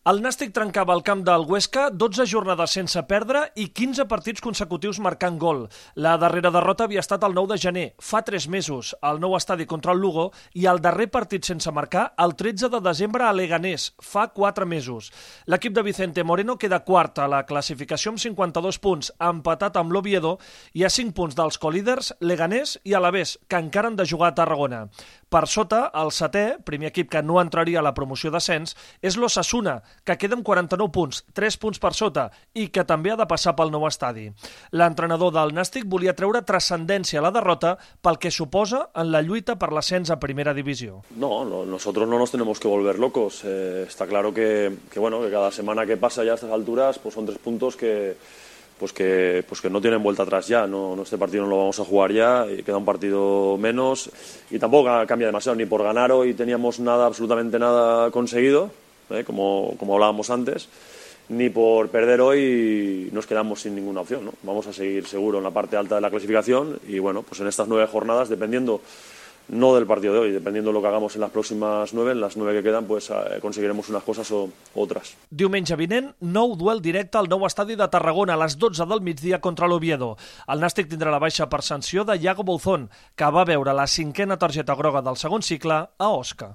El Nàstic trencava el camp del Huesca 12 jornades sense perdre i 15 partits consecutius marcant gol. La darrera derrota havia estat el 9 de gener, fa 3 mesos, al nou estadi contra el Lugo, i el darrer partit sense marcar el 13 de desembre a Leganés, fa 4 mesos. L'equip de Vicente Moreno queda quart a la classificació amb 52 punts, empatat amb l'Oviedo, i a 5 punts dels colíders Leganés i Alavés, que encara han de jugar a Tarragona. Per sota, el setè, primer equip que no entraria a la promoció d'ascens, és l'Osasuna, que queda amb 49 punts, 3 punts per sota, i que també ha de passar pel nou estadi. L'entrenador del Nàstic volia treure transcendència a la derrota pel que suposa en la lluita per l'ascens a primera divisió. No, nosotros no nos tenemos que volver locos. Está claro que cada semana que pasa ya a estas alturas pues son 3 puntos que no tienen vuelta atrás ya. No, este partido no lo vamos a jugar ya, y queda un partido menos y tampoco cambia demasiado. Ni por ganar hoy teníamos absolutamente nada conseguido, como hablábamos antes, ni por perder hoy nos quedamos sin ninguna opción, ¿no? Vamos a seguir seguro en la parte alta de la clasificación y bueno, pues en estas 9 jornadas, dependiendo no del partido de hoy, dependiendo de lo que hagamos en las próximas 9, en las 9 que quedan, pues conseguiremos unas cosas o otras. Diumenge vinent, nou duel directe al nou estadi de Tarragona a les 12 del migdia contra l'Oviedo. El Nàstic tindrà la baixa per sanció de Iago Bouzón, que va veure la 5a targeta groga del segon cicle a Osca.